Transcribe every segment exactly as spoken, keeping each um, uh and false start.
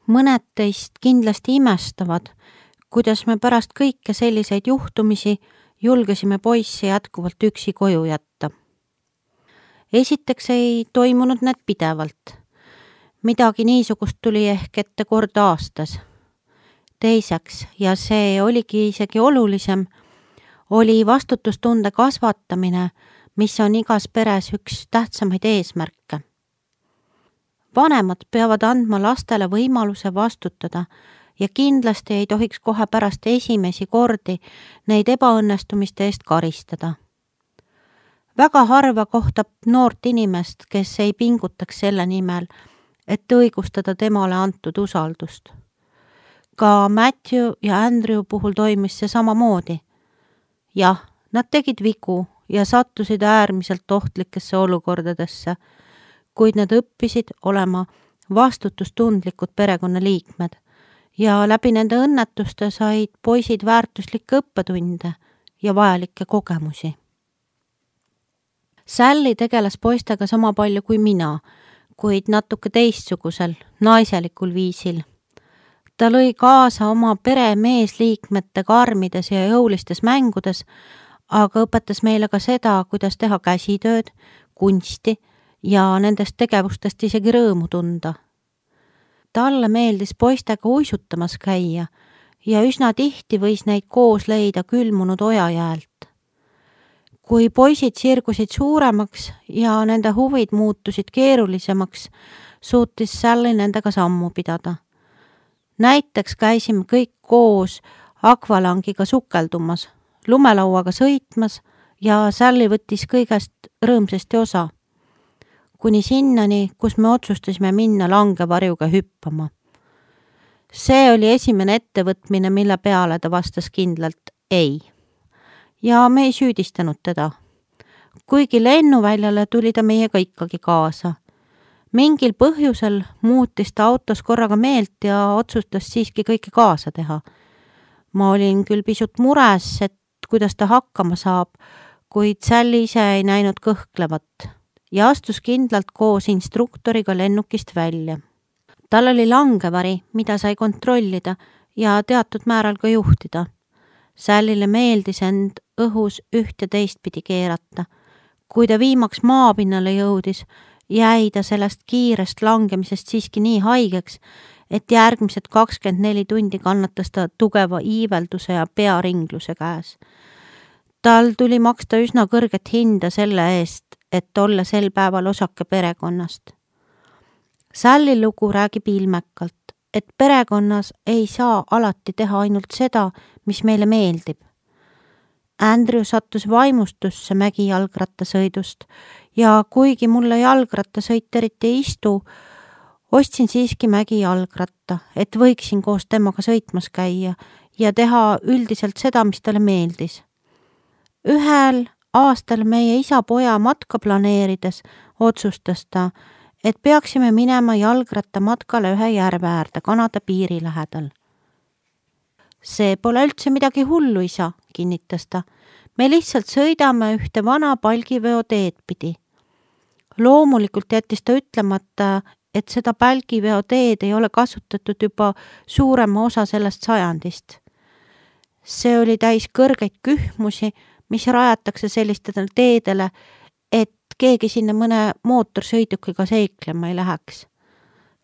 Mõned teist kindlasti imestavad, kuidas me pärast kõike selliseid juhtumisi julgesime poissi jätkuvalt üksi koju jätta. Esiteks ei toimunud need pidevalt. Midagi niisugust tuli ehk ette kord aastas. Teiseks, ja see oligi isegi olulisem, oli vastutustunde kasvatamine, mis on igas peres üks tähtsamaid eesmärke. Vanemad peavad andma lastele võimaluse vastutada ja kindlasti ei tohiks kohe pärast esimesi kordi neid ebaõnnestumiste eest karistada. Väga harva kohtab noort inimest, kes ei pingutaks selle nimel, et õigustada temale antud usaldust. Ka Matthew ja Andrew puhul toimis see samamoodi. Jah, nad tegid vigu ja sattusid äärmiselt ohtlikesse olukordadesse, kuid nad õppisid olema vastutustundlikud perekonnaliikmed ja läbi nende õnnetuste said poisid väärtuslikke õppetunde ja vajalikke kogemusi. Sally tegeles poistega sama palju kui mina, kuid natuke teistsugusel, naiselikul viisil. Ta lõi kaasa oma pere meesliikmete karmides ja jõulistes mängudes, aga õpetas meile ka seda, kuidas teha käsitööd, kunsti ja nendest tegevustest isegi rõõmu tunda. Talle meeldis poistega uisutamas käia ja üsna tihti võis neid koos leida külmunud ojajäält. Kui poisid sirgusid suuremaks ja nende huvid muutusid keerulisemaks, suutis Sally nendega sammu pidada. Näiteks käisime kõik koos akvalangiga sukeldumas, lumelauaga sõitmas ja Sally võttis kõigest rõõmsasti osa. Kuni sinnani, kus me otsustasime minna langevarjuga hüppama. See oli esimene ettevõtmine, mille peale ta vastas kindlalt ei. Ja me ei süüdistanud teda. Kuigi lennuväljale tuli ta meiega ikkagi kaasa. Mingil põhjusel muutis ta autos korraga meelt ja otsustas siiski kõike kaasa teha. Ma olin küll pisut mures, et kuidas ta hakkama saab, kuid Sally ise ei näinud kõhklevat ja astus kindlalt koos instruktoriga lennukist välja. Tal oli langevari, mida sai kontrollida ja teatud määral ka juhtida. Sallyle meeldis end õhus üht ja teistpidi keerata. Kui ta viimaks maapinnale jõudis, jäi ta sellest kiirest langemisest siiski nii haigeks, et järgmised kakskümmend neli tundi kannatas ta tugeva iivelduse ja pearingluse käes. Tal tuli maksta üsna kõrget hinda selle eest, et olla sel päeval osake perekonnast. Sally lugu räägib ilmekalt, et perekonnas ei saa alati teha ainult seda, mis meile meeldib. Andrew sattus vaimustusse mägijalgrattasõidust ja kuigi mulle jalgrattasõit eriti ei istu, ostsin siiski mägijalgratta, et võiksin koos temaga sõitmas käia ja teha üldiselt seda, mis talle meeldis. Ühel aastal meie isa-poja matka planeerides otsustas ta, et peaksime minema jalgrattamatkale ühe järve äärde Kanada piiri lähedal. See pole üldse midagi hullu, isa, kinnitas ta. Me lihtsalt sõidame ühte vana palgiveoteed pidi. Loomulikult jättis ta ütlemata, et seda palgiveoteed ei ole kasutatud juba suurema osa sellest sajandist. See oli täis kõrgeid kühmusi, mis rajatakse sellistele teedele, et keegi sinna mõne mootorsõidukiga seiklema ei läheks.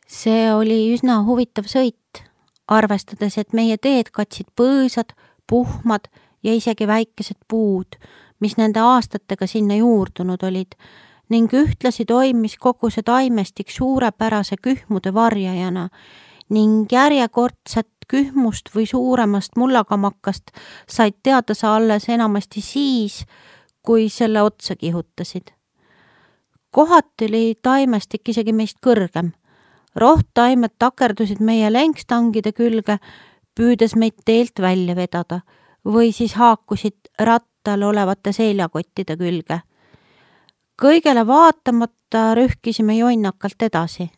See oli üsna huvitav sõit, arvestades, et meie teed katsid põõsad, puhmad ja isegi väikesed puud, mis nende aastatega sinna juurdunud olid, ning ühtlasi toimis kogu see taimestik suurepärase kühmude varjajana ning järjekordset kühmust või suuremast mullakamakast said teada sa alles enamasti siis, kui selle otsa kihutasid. Kohati oli taimestik isegi meist kõrgem. Rohttaimed takerdusid meie lenkstangide külge, püüdes meid teelt välja vedada või siis haakusid rattal olevate seljakottide külge. Kõigele vaatamata rühkisime jonnakalt edasi.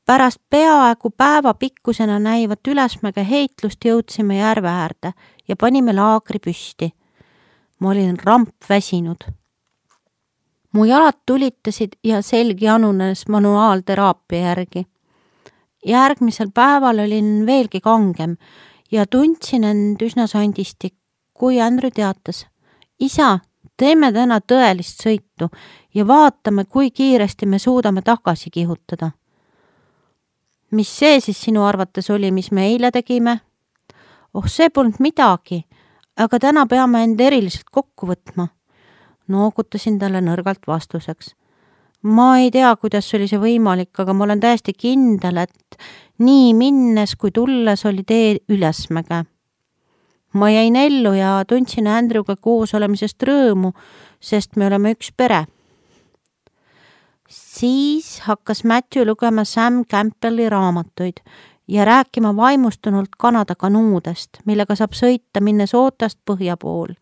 Pärast peaaegu päeva pikkusena näivat ülesmäge heitlust jõudsime järve äärde ja panime laagri püsti. Ma olin ramp väsinud. Mu jalad tulitasid ja selgi anunes manuaalteraapia järgi. Järgmisel päeval olin veelgi kangem ja tundsin end üsna sandisti, kui Andrew teatas. Isa, teeme täna tõelist sõitu ja vaatame, kui kiiresti me suudame tagasi kihutada. Mis see siis sinu arvates oli, mis me eile tegime? Oh, see polnud midagi, aga täna peame end eriliselt kokku võtma. Noogutasin talle nõrgalt vastuseks. Ma ei tea, kuidas oli see võimalik, aga ma olen täiesti kindel, et nii minnes kui tulles oli tee ülesmäge. Ma jäin ellu ja tundsin Andrewga koos olemisest rõõmu, sest me oleme üks pere. Siis hakkas Matthew lugema Sam Campbelli raamatuid ja rääkima vaimustunult Kanada kanuudest, millega saab sõita minnes ootast põhja pool.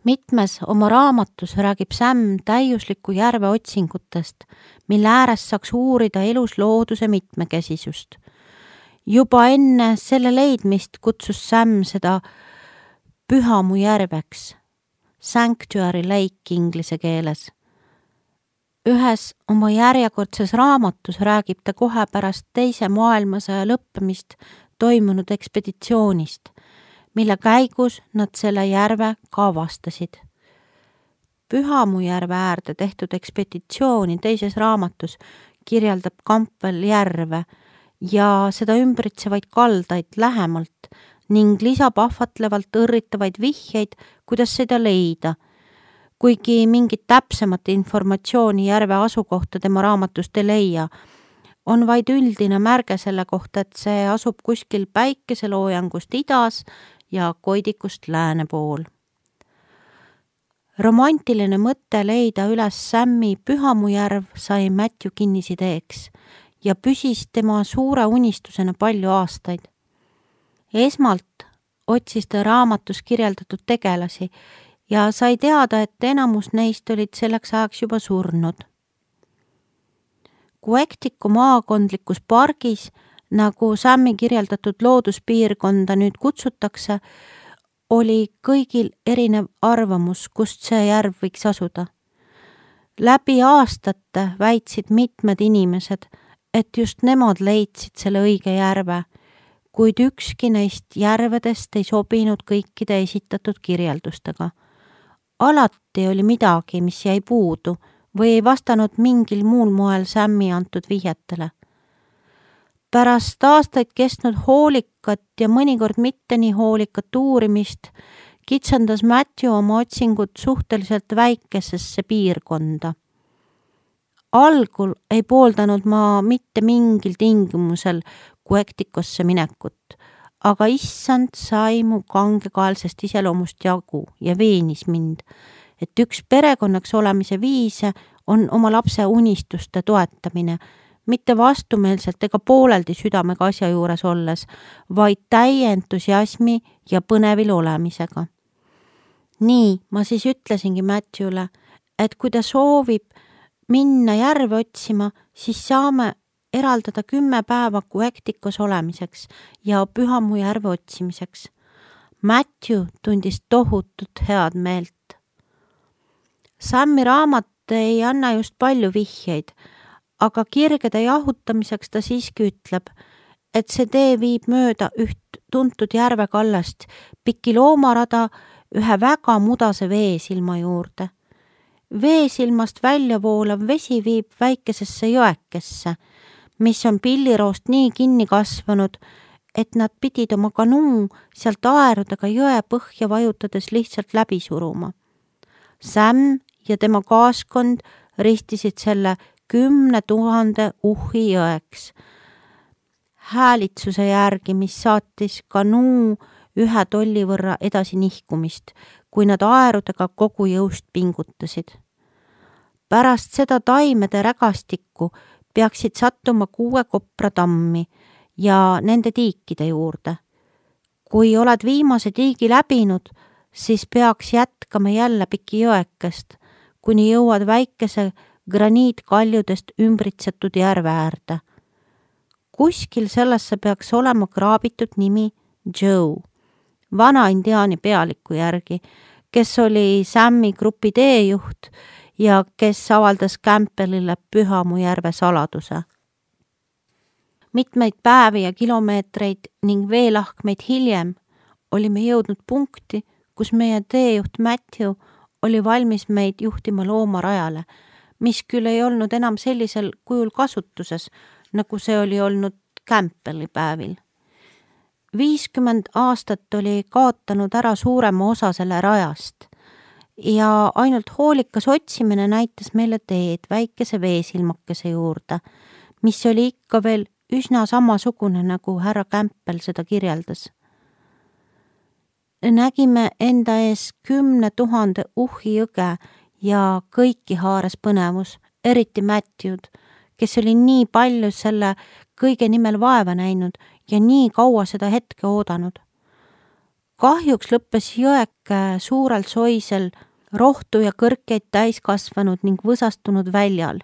Mitmes oma raamatus räägib Sam täiusliku järve otsingutest, mille ääres saaks uurida elus looduse mitmekesisust. Juba enne selle leidmist kutsus Sam seda Pühamu järveks, Sanctuary Lake inglise keeles. Ühes oma järjekordses raamatus räägib ta kohe pärast teise maailmasõja lõppemist toimunud ekspeditsioonist, mille käigus nad selle järve ka avastasid. Pühamu järve äärde tehtud ekspeditsiooni teises raamatus kirjeldab Campbell järve ja seda ümbritsevaid kaldaid lähemalt ning lisab ahvatlevalt õrritavaid vihjeid, kuidas seda leida, kuigi mingit täpsemat informatsiooni järve asukohta tema raamatust ei leia, on vaid üldine märge selle kohta, et see asub kuskil päikeseloojangust idas ja koidikust lääne pool. Romantiline mõte leida üles Sammi Pühamujärv sai Matthew kinnisideeks ja püsis tema suure unistusena palju aastaid. Esmalt otsis ta raamatus kirjeldatud tegelasi ja sai teada, et enamus neist olid selleks ajaks juba surnud. Quecticu maakondlikus pargis, nagu Sammi kirjeldatud looduspiirkonda nüüd kutsutakse, oli kõigil erinev arvamus, kust see järv võiks asuda. Läbi aastate väitsid mitmed inimesed, et just nemad leidsid selle õige järve, kuid ükski neist järvedest ei sobinud kõikide esitatud kirjeldustega. Alati oli midagi, mis jäi puudu või ei vastanud mingil muul moel Sammi antud vihjetele. Pärast aastaid kestnud hoolikat ja mõnikord mitte nii hoolikat uurimist kitsendas Matthew oma otsingud suhteliselt väikesesse piirkonda. Algul ei pooldanud ma mitte mingil tingimusel Quecticosse minekut, aga issand sai mu kangekaelsest iseloomust jagu ja veenis mind, et üks perekonnaks olemise viise on oma lapse unistuste toetamine, mitte vastumeelselt ega pooleldi südamega asja juures olles, vaid täie entusiasmi ja põnevil olemisega. Nii, ma siis ütlesingi Matthewle, et kui ta soovib minna järve otsima, siis saame eraldada kümme päeva Quecticos olemiseks ja Pühamu järve otsimiseks. Matthew tundis tohutut head meelt. Sammi raamat ei anna just palju vihjeid, aga kirgede jahutamiseks ta siiski ütleb, et see tee viib mööda üht tuntud järvekallast piki loomarada ühe väga mudase veesilma juurde. Veesilmast välja voolav vesi viib väikesesse jõekesse, mis on pilliroost nii kinni kasvanud, et nad pidid oma kanuu sealt aerudega jõe põhja vajutades lihtsalt läbi suruma. Sam ja tema kaaskond ristisid selle kümne tuhande uhi jõeks. Häälitsuse järgi, mis saatis kanuu ühe tolli võrra edasi nihkumist, kui nad aerudega kogu jõust pingutasid. Pärast seda taimede rägastikku peaksid sattuma kuue kopra tammi ja nende tiikide juurde. Kui oled viimase tiigi läbinud, siis peaks jätkama jälle piki jõekest, kuni jõuad väikese graniitkaljudest ümbritsetud järve äärde. Kuskil sellesse peaks olema kraabitud nimi Joe, vana indiaani pealiku järgi, kes oli Sammi grupi teejuht ja kes avaldas Campbellile Pühamu järve saladuse. Mitmeid päevi ja kilomeetreid ning veelahkmeid hiljem olime jõudnud punkti, kus meie teejuht Matthew oli valmis meid juhtima loomarajale, mis küll ei olnud enam sellisel kujul kasutuses, nagu see oli olnud Campbelli päevil. viiskümmend aastat oli kaotanud ära suurema osa selle rajast ja ainult hoolikas otsimine näitas meile teed väikese veesilmakese juurde, mis oli ikka veel üsna samasugune, nagu härra Campbell seda kirjeldas. Nägime enda ees kümne tuhande uhhi jõge ja kõiki haares põnevus, eriti Matthew'd, kes oli nii palju selle kõige nimel vaeva näinud ja nii kaua seda hetke oodanud. Kahjuks lõppes jõeke suurel soisel rohtu ja kõrkeid täis kasvanud ning võsastunud väljal,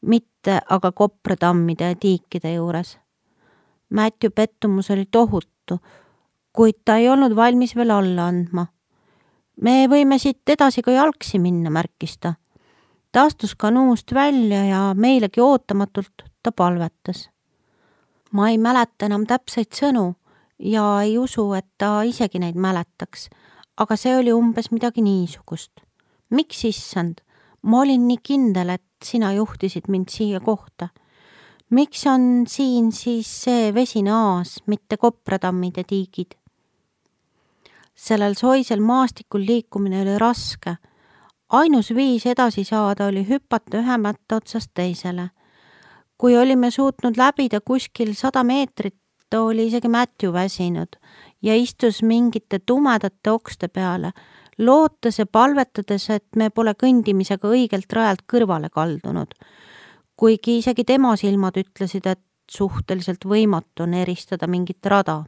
mitte aga kopratammide ja tiikide juures. Matthew pettumus oli tohutu, kuid ta ei olnud valmis veel alla andma. Me võime siit edasi ka jalgsi minna, märkis ta. Ta astus kanuust välja ja meilegi ootamatult ta palvetas. Ma ei mäleta enam täpseid sõnu ja ei usu, et ta isegi neid mäletaks, aga see oli umbes midagi niisugust. Miks issand? Ma olin nii kindel, et sina juhtisid mind siia kohta. Miks on siin siis see vesine aas, mitte kopratammid ja tiigid? Sellel soisel maastikul liikumine oli raske. Ainus viis edasi saada oli hüpata ühe mätta otsast teisele. Kui olime suutnud läbida kuskil sada meetrit, oli isegi Matthew väsinud ja istus mingite tumedate okste peale, lootes ja palvetades, et me pole kõndimisega õigelt rajalt kõrvale kaldunud, kuigi isegi tema silmad ütlesid, et suhteliselt võimatu on eristada mingit rada.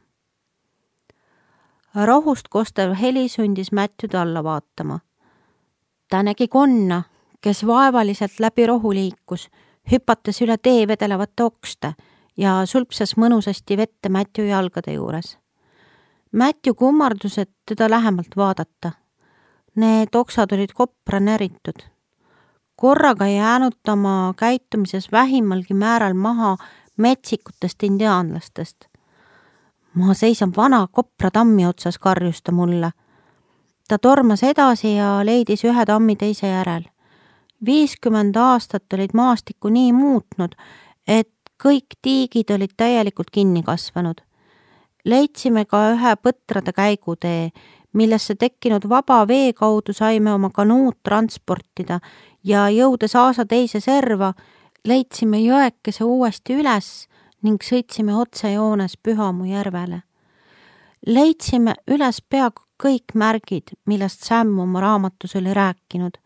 Rohust kostev heli sundis Matthew'd alla vaatama. Ta nägi konna, kes vaevaliselt läbi rohu liikus, hüpates üle tee vedelevate okste ja sulpsas mõnusasti vette Matthew jalgade juures. Matthew kummardus, et teda lähemalt vaadata. Need oksad olid kopra näritud. Korraga ei jäänud oma käitumises vähimalgi määral maha metsikutest indiaanlastest. Ma seisan vana kopra tammi otsas, karjus ta mulle. Ta tormas edasi ja leidis ühe tammi teise järel. viiskümmend aastat olid maastikku nii muutnud, et kõik tiigid olid täielikult kinni kasvanud. Leidsime ka ühe põtrade käigutee, millesse tekkinud vaba vee kaudu saime oma kanuud transportida ja jõudes aasa teise serva, leidsime jõekese uuesti üles ning sõitsime otsejoones Pühamu järvele. Leidsime üles peaaegu kõik märgid, millest Sam oma raamatus oli rääkinud.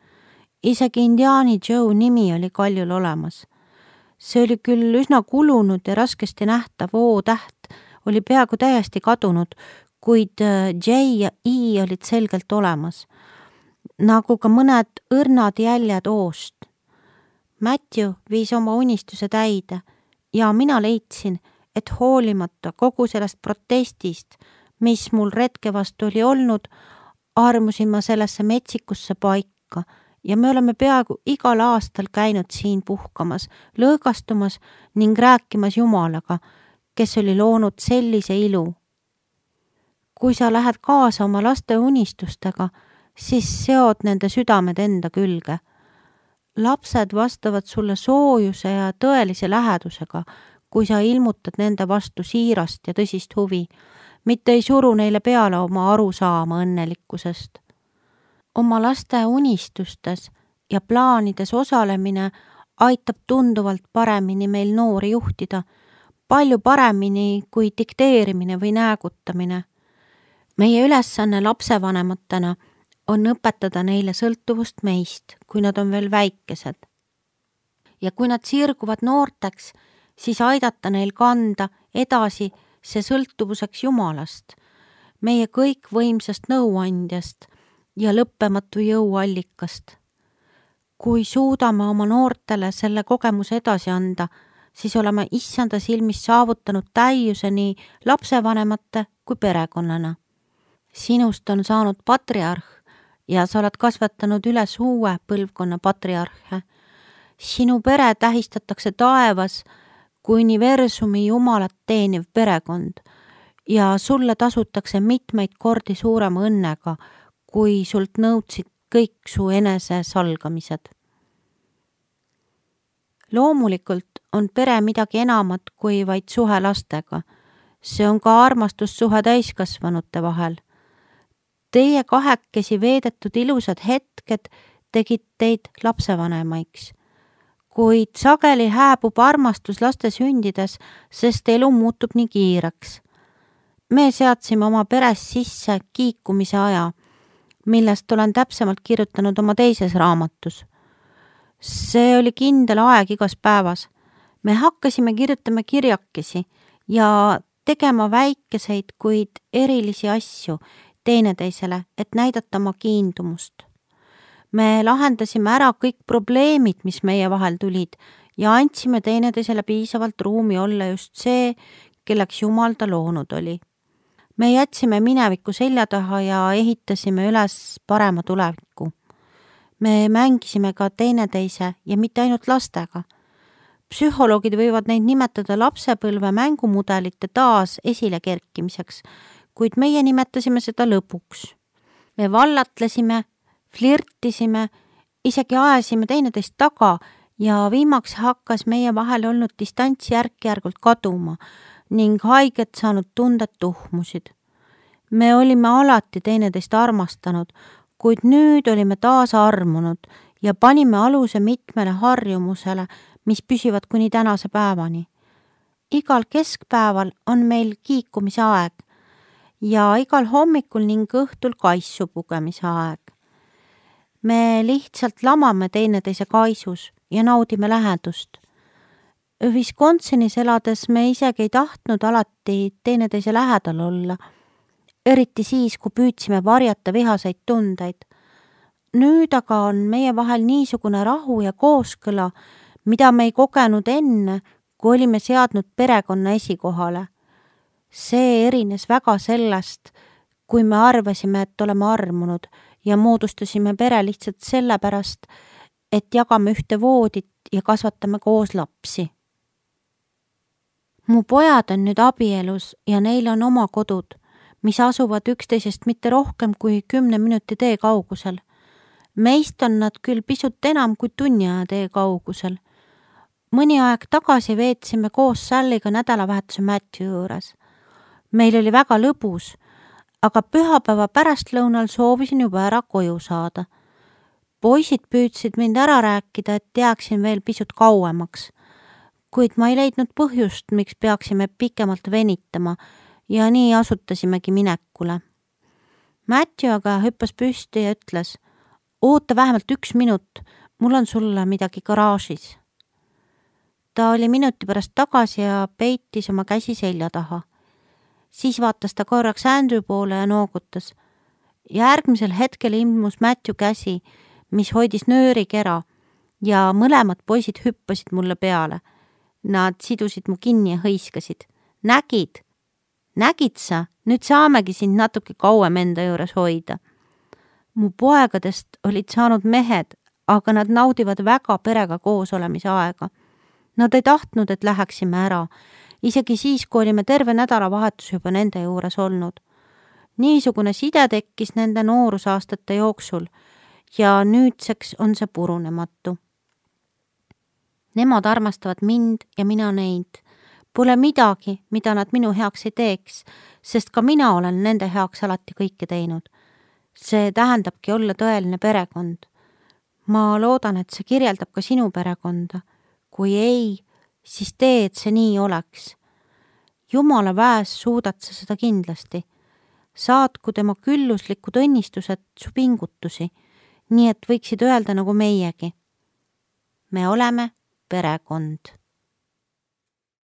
Isegi Indiaani Joe nimi oli kaljul olemas. See oli küll üsna kulunud ja raskesti nähtav O-täht oli peaaegu täiesti kadunud, kuid J ja I olid selgelt olemas, nagu ka mõned õrnad jäljed O-st. Matthew viis oma unistuse täide ja mina leidsin, et hoolimata kogu sellest protestist, mis mul retke vastu oli olnud, armusin ma sellesse metsikusse paika ja me oleme peaaegu igal aastal käinud siin puhkamas, lõõgastumas ning rääkimas Jumalaga, kes oli loonud sellise ilu. Kui sa lähed kaasa oma laste unistustega, siis seod nende südamed enda külge. Lapsed vastavad sulle soojuse ja tõelise lähedusega, kui sa ilmutad nende vastu siirast ja tõsist huvi, mitte ei suru neile peale oma arusaama õnnelikkusest. Oma laste unistustes ja plaanides osalemine aitab tunduvalt paremini meil noori juhtida, palju paremini kui dikteerimine või näägutamine. Meie ülesanne lapsevanematena on õpetada neile sõltuvust meist, kui nad on veel väikesed. Ja kui nad sirguvad noorteks, siis aidata neil kanda edasi see sõltuvuseks Jumalast, meie kõikvõimsast nõuandjast ja lõppematu jõuallikast. Kui suudame oma noortele selle kogemuse edasi anda, siis oleme issanda silmis saavutanud täiuse nii lapsevanemate kui perekonnana. Sinust on saanud patriarh ja sa oled kasvatanud üles uue põlvkonna patriarhe. Sinu pere tähistatakse taevas kui universumi jumalat teeniv perekond ja sulle tasutakse mitmeid kordi suurema õnnega, kui sult nõudsid kõik su enese salgamised. Loomulikult on pere midagi enamat kui vaid suhe lastega. See on ka armastussuhe täiskasvanute vahel. Teie kahekesi veedetud ilusad hetked tegid teid lapsevanemaiks. Kuid sageli hääbub armastus laste sündides, sest elu muutub nii kiireks. Me seadsime oma peres sisse kiikumise aja, millest olen täpsemalt kirjutanud oma teises raamatus. See oli kindel aeg igas päevas. Me hakkasime kirjutama kirjakesi ja tegema väikeseid, kuid erilisi asju teineteisele, et näidata oma kiindumust. Me lahendasime ära kõik probleemid, mis meie vahel tulid ja andsime teineteisele piisavalt ruumi olla just see, kelleks Jumal ta loonud oli. Me jätsime mineviku selja taha ja ehitasime üles parema tuleviku. Me mängisime ka teineteise ja mitte ainult lastega. Psühholoogid võivad neid nimetada lapsepõlve mängumudelite taas esile kerkimiseks, kuid meie nimetasime seda lõpuks. Me vallatlesime, flirtisime, isegi ajasime teineteist taga ja viimaks hakkas meie vahel olnud distants järk-järgult kaduma ning haiget saanud tunded tuhmusid. Me olime alati teineteist armastanud, kuid nüüd olime taas armunud ja panime aluse mitmele harjumusele, mis püsivad kuni tänase päevani. Igal keskpäeval on meil kiikumise aeg ja igal hommikul ning õhtul kaisu pugemise aeg. Me lihtsalt lamame teineteise kaisus ja naudime lähedust. Wisconsinis elades me isegi ei tahtnud alati teineteise lähedal olla, eriti siis, kui püüdsime varjata vihaseid tundeid. Nüüd aga on meie vahel niisugune rahu ja kooskõla, mida me ei kogenud enne, kui olime seadnud perekonna esikohale. See erines väga sellest, kui me arvasime, et oleme armunud ja moodustasime pere lihtsalt sellepärast, et jagame ühte voodit ja kasvatame koos lapsi. Mu pojad on nüüd abielus ja neil on oma kodud, mis asuvad üksteisest mitte rohkem kui kümne minuti tee kaugusel. Meist on nad küll pisut enam kui tunni aja tee kaugusel. Mõni aeg tagasi veetsime koos Salliga nädalavahetuse Matthew juures. Meil oli väga lõbus, aga pühapäeva pärastlõunal soovisin juba ära koju saada. Poisid püüdsid mind ära rääkida, et jääksin veel pisut kauemaks, kuid ma ei leidnud põhjust, miks peaksime pikemalt venitama ja nii asutasimegi minekule. Matthew aga hüppas püsti ja ütles, oota vähemalt üks minut, mul on sulle midagi garaažis. Ta oli minuti pärast tagasi ja peitis oma käsi selja taha. Siis vaatas ta korraks Andrew poole ja noogutas. Järgmisel hetkel ilmus Matthew käsi, mis hoidis nöörikera ja mõlemad poisid hüppasid mulle peale. Nad sidusid mu kinni ja hõiskasid. Nägid? Nägid sa? Nüüd saamegi sind natuke kauem enda juures hoida. Mu poegadest olid saanud mehed, aga nad naudivad väga perega koos olemise aega. Nad ei tahtnud, et läheksime ära, isegi siis, kui olime terve nädalavahetus juba nende juures olnud. Niisugune side tekkis nende noorusaastate jooksul ja nüüdseks on see purunematu. Nemad armastavad mind ja mina neid. Pole midagi, mida nad minu heaks ei teeks, sest ka mina olen nende heaks alati kõike teinud. See tähendabki olla tõeline perekond. Ma loodan, et see kirjeldab ka sinu perekonda. Kui ei, siis tee, et see nii oleks. Jumala väes suudad sa seda kindlasti. Saatku tema külluslikud õnnistused su pingutusi, nii et võiksid öelda nagu meiegi. Me oleme perekond.